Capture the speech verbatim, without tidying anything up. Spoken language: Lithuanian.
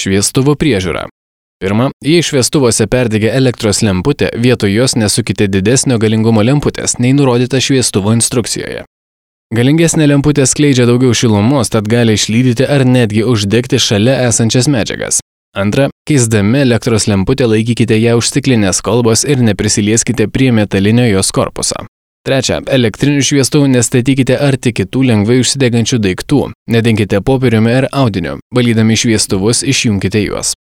Šviestuvo priežiūra. Pirma, jei šviestuvuose perdegė elektros lemputė, vietoj jos nesukite didesnio galingumo lemputės, nei nurodyta šviestuvo instrukcijoje. Galingesnė lemputė skleidžia daugiau šilumos, tad gali išlydyti ar netgi uždegti šalia esančias medžiagas. Antra, keisdami elektros lemputę laikykite ją už stiklinės kolbos ir neprisilieskite prie metalinio jos korpuso. Trečia, elektrinių šviestuvų nestatykite arti kitų lengvai užsidegančių daiktų, nedenkite popieriumi ar audiniu, valydami šviestuvus išjunkite juos.